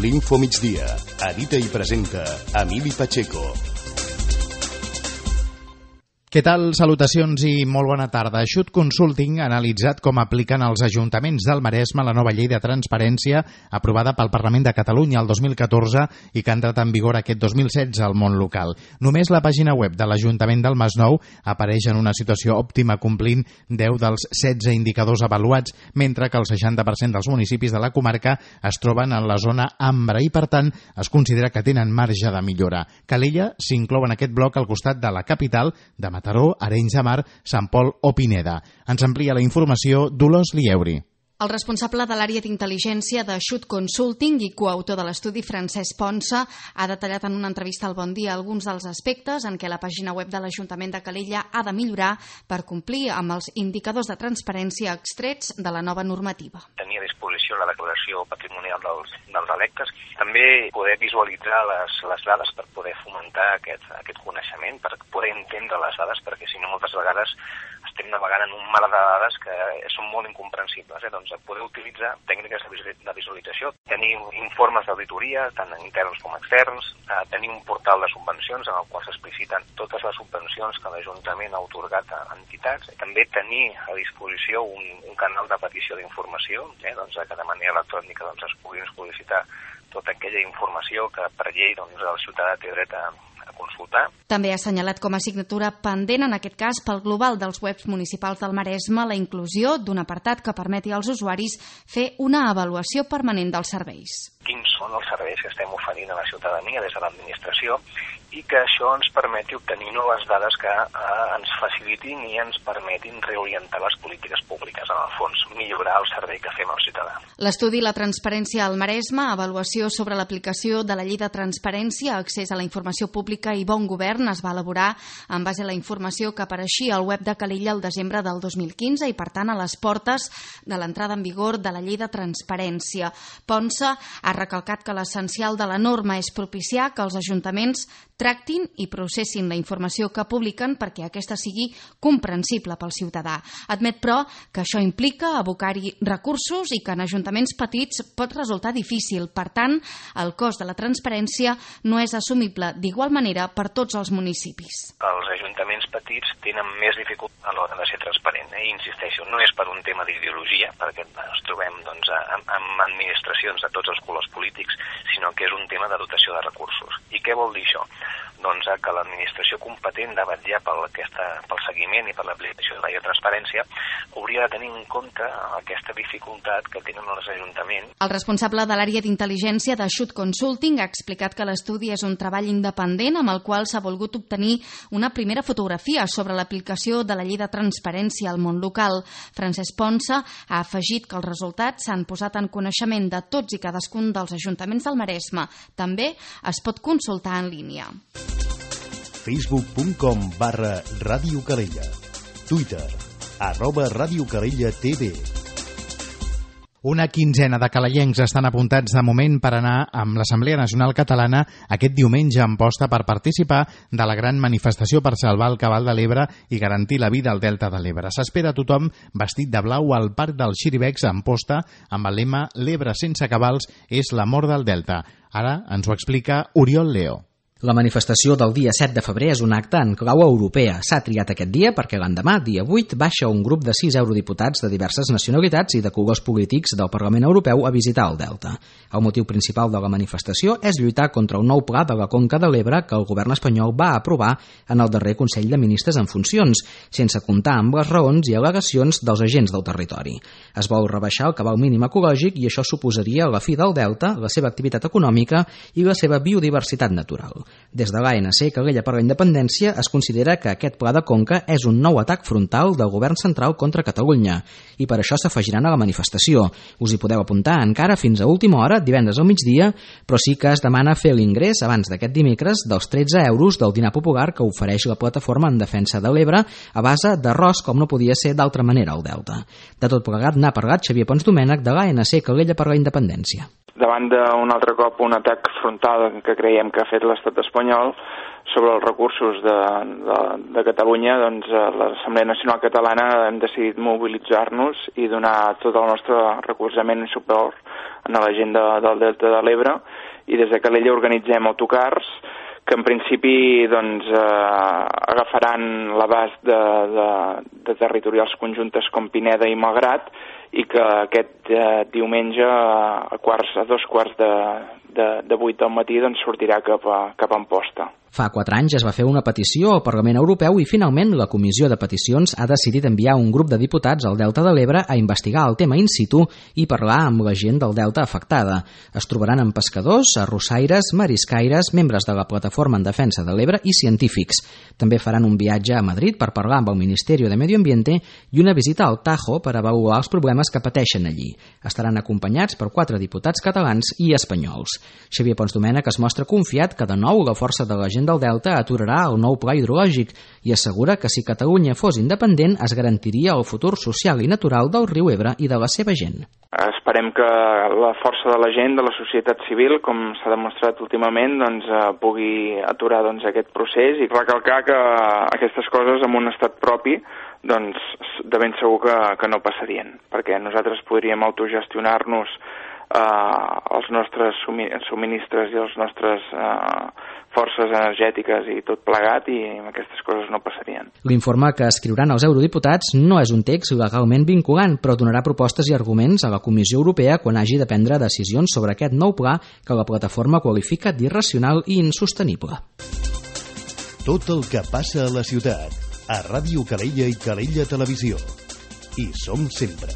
L'Info Migdia. Edita i presenta Emili Pacheco. Què tal? Salutacions i molt bona tarda. Xut Consulting ha analitzat com apliquen els ajuntaments del Maresme la nova llei de transparència aprovada pel Parlament de Catalunya el 2014 i que ha entrat en vigor aquest 2016 al món local. Només la pàgina web de l'Ajuntament del Masnou apareix en una situació òptima complint 10 dels 16 indicadors avaluats, mentre que el 60% dels municipis de la comarca es troben en la zona ambre i, per tant, es considera que tenen marge de millora. Calella s'inclou en aquest bloc al costat de la capital de Mataró, Arenys de Mar, Sant Pol o Pineda. Ens amplia la informació Dolors Lieuri. El responsable de l'àrea d'intel·ligència de Xut Consulting i coautor de l'estudi, Francesc Ponsa, ha detallat en una entrevista al Bon Dia alguns dels aspectes en què la pàgina web de l'Ajuntament de Calella ha de millorar per complir amb els indicadors de transparència extrets de la nova normativa. Tenir a disposició la declaració patrimonial dels electes, també poder visualitzar les dades per poder fomentar aquest coneixement, per poder entendre les dades, perquè si no moltes vegades estem navegant en un mar de dades que són molt incomprensibles. Doncs poder utilitzar tècniques de visualització, tenir informes d'auditoria, tant interns com externs, tenir un portal de subvencions en el qual s'expliciten totes les subvencions que l'Ajuntament ha atorgat a entitats, també tenir a disposició un canal de petició d'informació, que de manera electrònica es pugui sol·licitar tota aquella informació que per llei el ciutadà té dret a consultar. També ha assenyalat com a assignatura pendent, en aquest cas pel global dels webs municipals del Maresme, la inclusió d'un apartat que permeti als usuaris fer una avaluació permanent dels serveis. Quins són els serveis que estem oferint a la ciutadania des de l'administració i que això ens permeti obtenir noves dades que ens facilitin i ens permetin reorientar les polítiques públiques, en el fons, millorar el servei que fem al ciutadà. L'estudi La transparència al Maresme, avaluació sobre l'aplicació de la llei de transparència, accés a la informació pública i bon govern, es va elaborar en base a la informació que apareixia al web de Calella el desembre del 2015 i, per tant, a les portes de l'entrada en vigor de la llei de transparència. Ponsa ha recalcat que l'essencial de la norma és propiciar que els ajuntaments tractin i processin la informació que publiquen perquè aquesta sigui comprensible pel ciutadà. Admet, però, que això implica abocar-hi recursos i que en ajuntaments petits pot resultar difícil. Per tant, el cost de la transparència no és assumible d'igual manera per tots els municipis. Els ajuntaments petits tenen més dificultat a l'hora de ser transparent. Insisteixo, no és per un tema d'ideologia, perquè ens trobem amb administracions de tots els colors polítics, sinó que és un tema de dotació de recursos. I què vol dir això? Que l'administració competent de vetllar pel seguiment i per l'aplicació de la llei de transparència hauria de tenir en compte aquesta dificultat que tenen els ajuntaments. El responsable de l'àrea d'intel·ligència de Xut Consulting ha explicat que l'estudi és un treball independent amb el qual s'ha volgut obtenir una primera fotografia sobre l'aplicació de la llei de transparència al món local. Francesc Ponsa ha afegit que els resultats s'han posat en coneixement de tots i cadascun dels ajuntaments del Maresme. També es pot consultar en línia. Facebook.com/Ràdio Calella. Twitter @Ràdio Calella TV. Una quinzena de calellencs estan apuntats de moment per anar amb l'Assemblea Nacional Catalana aquest diumenge en posta per participar de la gran manifestació per salvar el cabal de l'Ebre i garantir la vida al Delta de l'Ebre. S'espera a tothom vestit de blau al Parc dels Xiribecs en posta amb el lema «L'Ebre sense cabals és la mort del Delta». Ara ens ho explica Oriol Leo. La manifestació del dia 7 de febrer és un acte en clau europea. S'ha triat aquest dia perquè l'endemà, dia 8, baixa un grup de 6 eurodiputats de diverses nacionalitats i de colors polítics del Parlament Europeu a visitar el Delta. El motiu principal de la manifestació és lluitar contra un nou pla de la Conca de l'Ebre que el govern espanyol va aprovar en el darrer Consell de Ministres en funcions, sense comptar amb les raons i al·legacions dels agents del territori. Es vol rebaixar el cabal mínim ecològic i això suposaria la fi del Delta, la seva activitat econòmica i la seva biodiversitat natural. Des de l'ANC Calella per la Independència es considera que aquest pla de conca és un nou atac frontal del govern central contra Catalunya i per això s'afegiran a la manifestació. Us hi podeu apuntar encara fins a última hora, divendres al migdia, però sí que es demana fer l'ingrés abans d'aquest dimecres dels 13 euros del dinar popular que ofereix la plataforma en defensa de l'Ebre a base d'arròs, com no podia ser d'altra manera al Delta. De tot plegat n'ha parlat Xavier Pons Domènech de l'ANC Calella per la Independència. Davant d'un altre cop un atac frontal que creiem que ha fet l'estat espanyol sobre els recursos de Catalunya, doncs l'Assemblea Nacional Catalana hem decidit mobilitzar-nos i donar tot el nostre recolzament i suport en la gent del Delta de l'Ebre, i des de Calella organitzem autocars que en principi doncs, agafaran l'abast de territorials conjuntes com Pineda i Malgrat, i que aquest diumenge a 2:15 de 8 del matí doncs, sortirà cap a Amposta. Fa 4 anys es va fer una petició al Parlament Europeu i finalment la Comissió de Peticions ha decidit enviar un grup de diputats al Delta de l'Ebre a investigar el tema in situ i parlar amb la gent del Delta afectada. Es trobaran amb pescadors, arrossaires, mariscaires, membres de la Plataforma en Defensa de l'Ebre i científics. També faran un viatge a Madrid per parlar amb el Ministeri de Medio Ambiente i una visita al Tajo per avaluar els problemes que pateixen allí. Estaran acompanyats per 4 diputats catalans i espanyols. Xavier Pons Domènech es mostra confiat que de nou la força de la gent del Delta aturarà el nou pla hidrològic i assegura que si Catalunya fos independent es garantiria el futur social i natural del riu Ebre i de la seva gent. Esperem que la força de la gent, de la societat civil, com s'ha demostrat últimament, doncs, pugui aturar aquest procés i recalcar que aquestes coses en un estat propi doncs, de ben segur que no passarien, perquè nosaltres podríem autogestionar-nos els nostres subministres i les nostres forces energètiques i tot plegat, i aquestes coses no passarien. L'informe que escriuran els eurodiputats no és un text legalment vinculant, però donarà propostes i arguments a la Comissió Europea quan hagi de prendre decisions sobre aquest nou pla que la plataforma qualifica d'irracional i insostenible. Tot el que passa a la ciutat, a Ràdio Calella i Calella Televisió. Hi som sempre.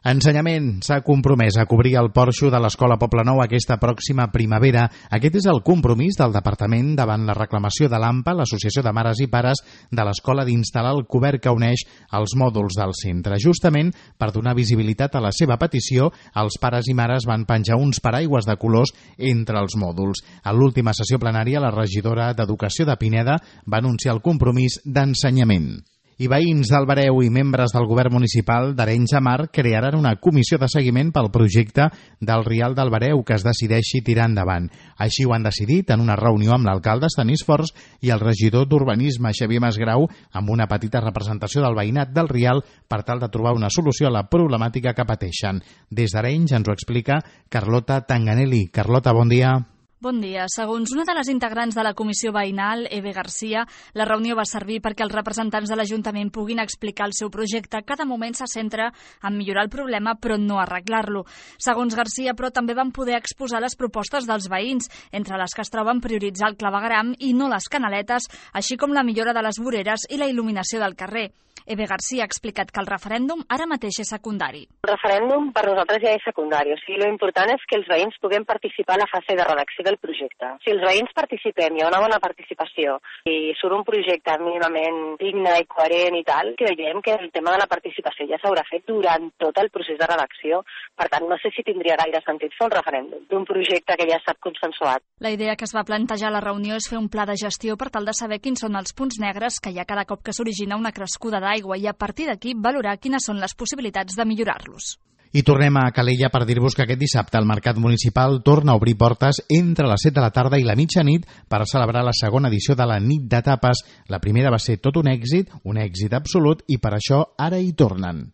Ensenyament s'ha compromès a cobrir el porxo de l'Escola Poblenou aquesta pròxima primavera. Aquest és el compromís del Departament davant la reclamació de l'AMPA, l'Associació de Mares i Pares de l'Escola, d'instal·lar el cobert que uneix els mòduls del centre. Justament per donar visibilitat a la seva petició, els pares i mares van penjar uns paraigües de colors entre els mòduls. A l'última sessió plenària, la regidora d'Educació de Pineda va anunciar el compromís d'ensenyament. I veïns d'Albareu i membres del govern municipal d'Arenys de Mar crearan una comissió de seguiment pel projecte del Rial d'Albareu que es decideixi tirar endavant. Així ho han decidit en una reunió amb l'alcalde Estanis Forns i el regidor d'Urbanisme Xavier Masgrau, amb una petita representació del veïnat del Rial per tal de trobar una solució a la problemàtica que pateixen. Des d'Arenys ens ho explica Carlota Tanganelli. Carlota, bon dia. Bon dia. Segons una de les integrants de la comissió veïnal, Eve Garcia, la reunió va servir perquè els representants de l'Ajuntament puguin explicar el seu projecte, que de moment se centra en millorar el problema però no arreglar-lo. Segons Garcia, però, també van poder exposar les propostes dels veïns, entre les que es troben prioritzar el clavegueram i no les canaletes, així com la millora de les voreres i la il·luminació del carrer. Eve Garcia ha explicat que el referèndum ara mateix és secundari. El referèndum per nosaltres ja és secundari, o sigui, l'important és que els veïns puguem participar a la fase de redacció del projecte. Si els veïns participem, hi ha una bona participació i surt un projecte mínimament digne i coherent i tal, creiem que el tema de la participació ja s'haurà fet durant tot el procés de redacció. Per tant, no sé si tindria gaire sentit fer un referèndum d'un projecte que ja ha estat consensuat. La idea que es va plantejar a la reunió és fer un pla de gestió per tal de saber quins són els punts negres que hi ha cada cop que s'origina una crescuda d'aigua i a partir d'aquí valorar quines són les possibilitats de millorar-los. I tornem a Calella per dir-vos que aquest dissabte el Mercat Municipal torna a obrir portes entre les 7 de la tarda i la mitjanit per celebrar la segona edició de la Nit de Tapes. La primera va ser tot un èxit absolut, i per això ara hi tornen.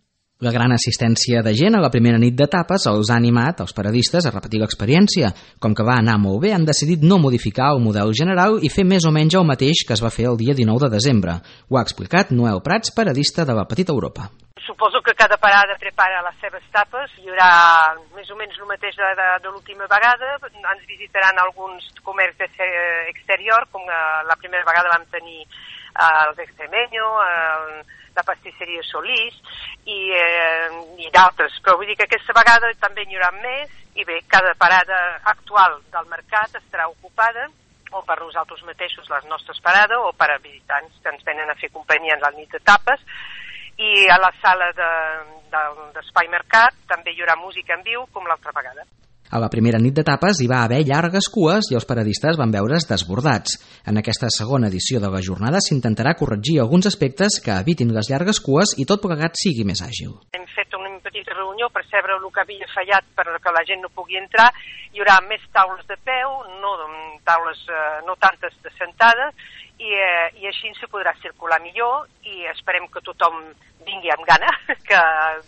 La gran assistència de gent a la primera nit de tapes els ha animat els paradistes a repetir l'experiència. Com que va anar molt bé, han decidit no modificar el model general i fer més o menys el mateix que es va fer el dia 19 de desembre. Ho ha explicat Noel Prats, paradista de la Petita Europa. Suposo que cada parada prepara les seves tapes, hi haurà més o menys el mateix de l'última vegada, ens visitaran alguns comerços exterior, com la primera vegada vam tenir els Extremeño, la pastisseria Solís i d'altres, però vull dir que aquesta vegada també n'hi haurà més i bé, cada parada actual del mercat estarà ocupada o per nosaltres mateixos, les nostres parades, o per a visitants que ens venen a fer companyia en la nit de tapes. I a la sala d'Espai Mercat també hi haurà música en viu com l'altra vegada. A la primera nit de tapes hi va haver llargues cues i els paradistes van veure's desbordats. En aquesta segona edició de la jornada s'intentarà corregir alguns aspectes que evitin les llargues cues i tot plegat sigui més àgil. Hem fet un petita reunió per saber el que havia fallat perquè la gent no pugui entrar. Hi haurà més taules de peu, no tantes de sentades, i així se podrà circular millor i esperem que tothom vingui amb gana, que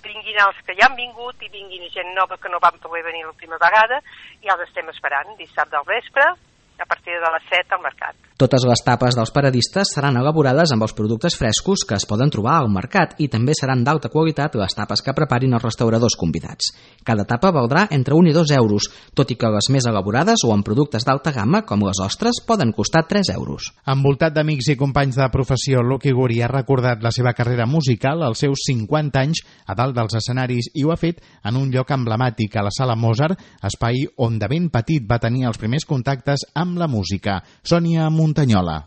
vinguin els que ja han vingut i vinguin gent nova que no van poder venir l'última vegada, i els estem esperant dissabte al vespre a partir de les 7 al mercat. Totes les tapes dels paradistes seran elaborades amb els productes frescos que es poden trobar al mercat i també seran d'alta qualitat les tapes que preparin els restauradors convidats. Cada tapa valdrà entre 1 i 2 euros, tot i que les més elaborades o amb productes d'alta gamma, com les ostres, poden costar 3 euros. Envoltat d'amics i companys de professió, Lucky Guri ha recordat la seva carrera musical als seus 50 anys a dalt dels escenaris i ho ha fet en un lloc emblemàtic, a la Sala Mozart, espai on de ben petit va tenir els primers contactes amb la música. Sònia Montanyola.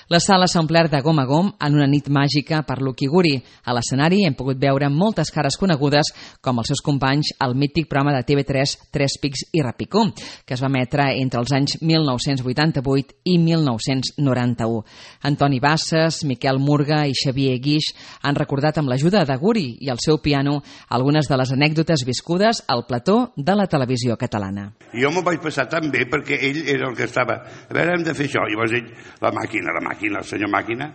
La sala s'ha omplert de gom a gom en una nit màgica per Lucky Guri. A l'escenari hem pogut veure moltes cares conegudes, com els seus companys al mític programa de TV3 Tres Pics i Repicó, que es va emetre entre els anys 1988 i 1991. Antoni Bassas, Miquel Murga i Xavier Guix han recordat amb l'ajuda de Guri i el seu piano algunes de les anècdotes viscudes al plató de la televisió catalana. Jo m'ho vaig passar tan bé perquè ell era el que estava, a veure, hem de fer això, i llavors ell, la màquina, el senyor Màquina,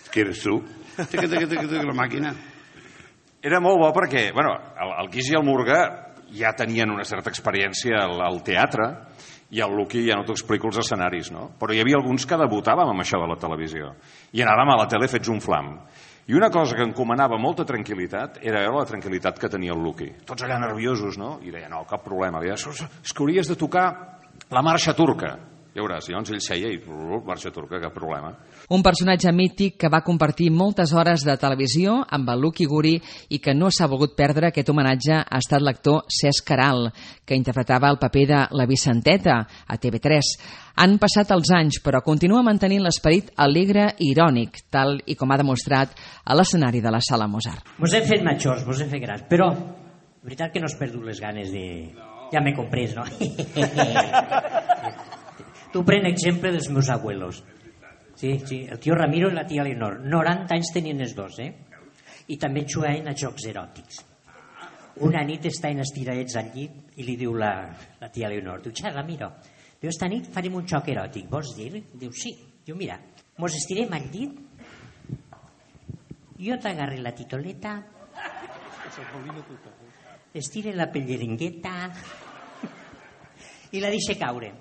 que eres tu, la màquina. Era molt bo perquè, bueno, el Guix i el Murga ja tenien una certa experiència al teatre i el Lucky, ja no t'ho explico, els escenaris, no? Però hi havia alguns que debutàvem amb això de la televisió i anàvem a la tele fets un flam. I una cosa que encomanava molta tranquil·litat era veure la tranquil·litat que tenia el Lucky. Tots allà nerviosos, no? I deia, no, cap problema. Deia, és que hauries de tocar la marxa turca. Ja veuràs, llavors ell seia i marxa turca, cap problema. Un personatge mític que va compartir moltes hores de televisió amb el Lucky Guri i que no s'ha volgut perdre aquest homenatge ha estat l'actor Cesc Caral, que interpretava el paper de la Vicenteta a TV3. Han passat els anys, però continua mantenint l'esperit alegre i irònic, tal i com ha demostrat a l'escenari de la Sala Mozart. Vos hem fet majors, vos hem fet grans, però la veritat que no has perdut les ganes de... Ja m'he comprès, no? Tu pren exemple dels meus abuelos. Sí, el tio Ramiro i la tia Leonor. 90 anys tenien els dos, I també jugaven a jocs eròtics. Una nit estaven estiradets al llit i li diu la tia Leonor, diu, Ramiro, diu, esta nit farem un joc eròtic, vols dir? Diu, sí. Diu, mira, mos estirem al llit, jo t'agarre la titoleta, estire la pellerengueta i la deixe caure.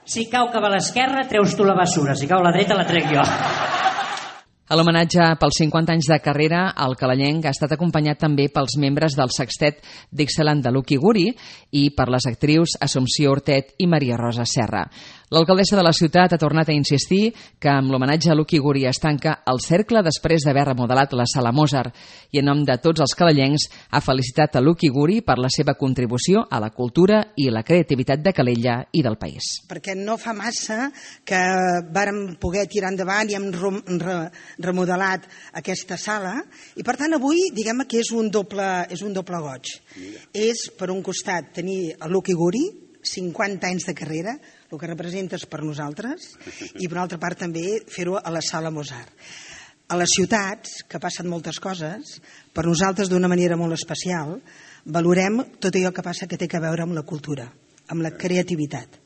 Si cau cap a l'esquerra, treus tu la bessura. Si cau a la dreta, la trec jo. A l'homenatge pels 50 anys de carrera, el calallenc ha estat acompanyat també pels membres del sextet Dixieland de Lucky Guri i per les actrius Assumpció Ortet i Maria Rosa Serra. L'alcaldessa de la ciutat ha tornat a insistir que amb l'homenatge a Lucky Guri es tanca el cercle després d'haver remodelat la Sala Mozart i en nom de tots els calallencs ha felicitat a Lucky Guri per la seva contribució a la cultura i la creativitat de Calella i del país. Perquè no fa massa que vàrem poder tirar endavant i hem remodelat aquesta sala i per tant avui diguem que és un doble goig. És per un costat tenir a Lucky Guri, 50 anys de carrera, el que representes per nosaltres, i per una altra part també fer-ho a la Sala Mozart. A les ciutats, que passen moltes coses, per nosaltres d'una manera molt especial, valorem tot allò que passa que té a veure amb la cultura, amb la creativitat.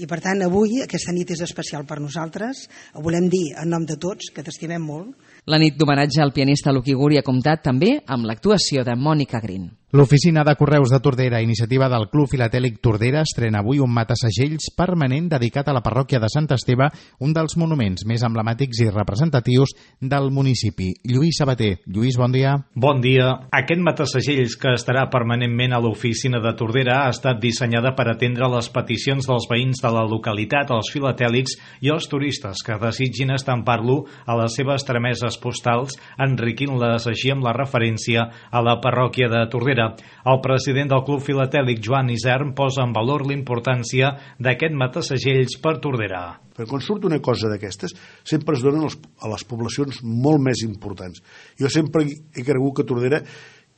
I per tant avui aquesta nit és especial per nosaltres, ho volem dir en nom de tots, que t'estimem molt. La nit d'homenatge al pianista Lucky Guri ha comptat també amb l'actuació de Mònica Green. L'Oficina de Correus de Tordera, iniciativa del Club Filatèlic Tordera, estrena avui un matasegells permanent dedicat a la parròquia de Sant Esteve, un dels monuments més emblemàtics i representatius del municipi. Lluís Sabater. Lluís, bon dia. Bon dia. Aquest matasegells, que estarà permanentment a l'Oficina de Tordera, ha estat dissenyada per atendre les peticions dels veïns de la localitat, els filatèlics i els turistes que desitgin estampar-lo a les seves trameses postals, enriquint-les així amb la referència a la parròquia de Tordera. El president del Club Filatèlic, Joan Isern, posa en valor la importància d'aquest matasegells per Tordera. Perquè quan surt una cosa d'aquestes, sempre es donen a les poblacions molt més importants. Jo sempre he cregut que Tordera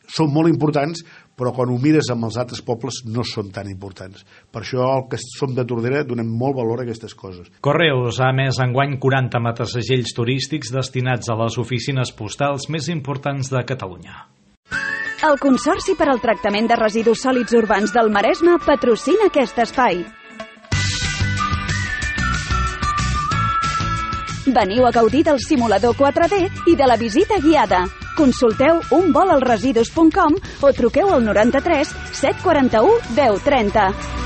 són molt importants, però quan ho mires amb els altres pobles no són tan importants. Per això el que som de Tordera donem molt valor a aquestes coses. Correus ha emès enguany 40 matasegells turístics destinats a les oficines postals més importants de Catalunya. El Consorci per al Tractament de Residus Sòlids Urbans del Maresme patrocina aquest espai. Veniu a gaudir del simulador 4D i de la visita guiada. Consulteu unvolalresidus.com o truqueu al 93 741 1030.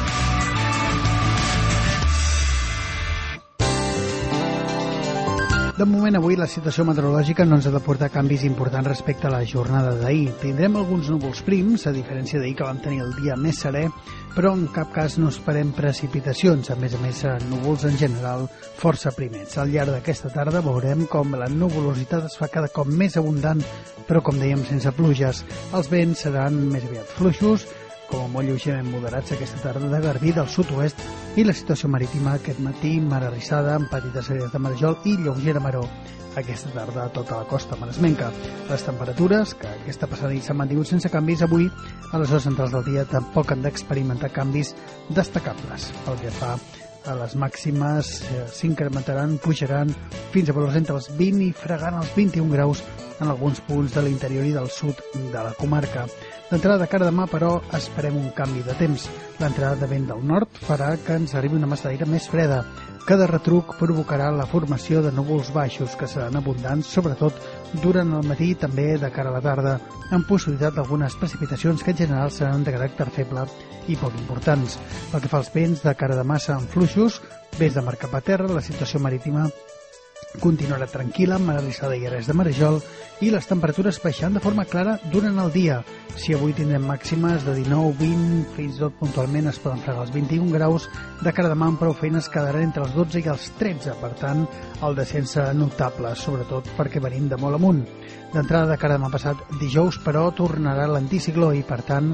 De moment, avui la situació meteorològica no ens ha de portar canvis importants respecte a la jornada d'ahir. Tindrem alguns núvols prims, a diferència d'ahir que vam tenir el dia més serè, però en cap cas no esperem precipitacions. A més, núvols en general força primers. Al llarg d'aquesta tarda veurem com la nuvolositat es fa cada cop més abundant, però, com dèiem, sense pluges. Els vents seran més aviat fluixos, com a molt lleugerament moderats aquesta tarda de Garbí del sud-oest, i la situació marítima aquest matí, mar arrissada, amb petites àrees de marejol i lleugera maror. Aquesta tarda a tota la costa maresmenca. Les temperatures, que aquesta passada nit s'han mantingut sense canvis, avui a les hores centrals del dia tampoc han d'experimentar canvis destacables. Pel que fa a les màximes, s'incrementaran, pujaran fins a valors entre els 20 i fregant els 21 graus en alguns punts de l'interior i del sud de la comarca. D'entrada de cara demà, però, esperem un canvi de temps. L'entrada de vent del nord farà que ens arribi una massa d'aire més freda. Cada retruc provocarà la formació de núvols baixos, que seran abundants, sobretot durant el matí i també de cara a la tarda, amb possibilitat d'algunes precipitacions que en general seran de caràcter feble i poc importants. Pel que fa als vents, de cara demà seran fluixos, vés de mar cap a terra, la situació marítima continuarà tranquil·la, amb mar arrissada i àrees de marejol, i les temperatures baixant de forma clara durant el dia. Si avui tindrem màximes de 19, 20, fins i tot puntualment es poden fregar els 21 graus, de cara demà amb prou feines quedaran entre els 12 i els 13, per tant, el descens serà notable, sobretot perquè venim de molt amunt. D'entrada de cara demà passat dijous, però, tornarà l'anticicló i, per tant,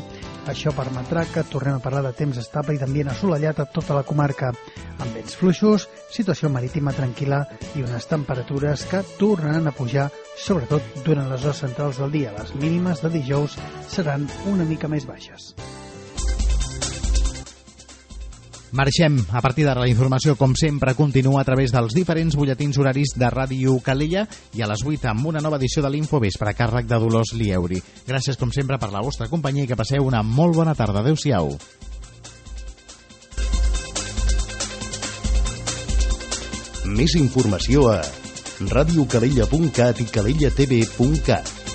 això permetrà que tornem a parlar de temps estable i d'ambient assolellat a tota la comarca, amb vents fluixos, situació marítima tranquil·la i unes temperatures que tornaran a pujar, sobretot durant les hores centrals del dia. Les mínimes de dijous seran una mica més baixes. Marxem. A partir d'ara la informació, com sempre, continua a través dels diferents butlletins horaris de Ràdio Calella i a les 8 amb una nova edició de l'Infovespre a càrrec de Dolors Lieuri. Gràcies, com sempre, per la vostra companyia i que passeu una molt bona tarda. Adéu-siau. Més informació a radiocalella.cat i calellatv.cat.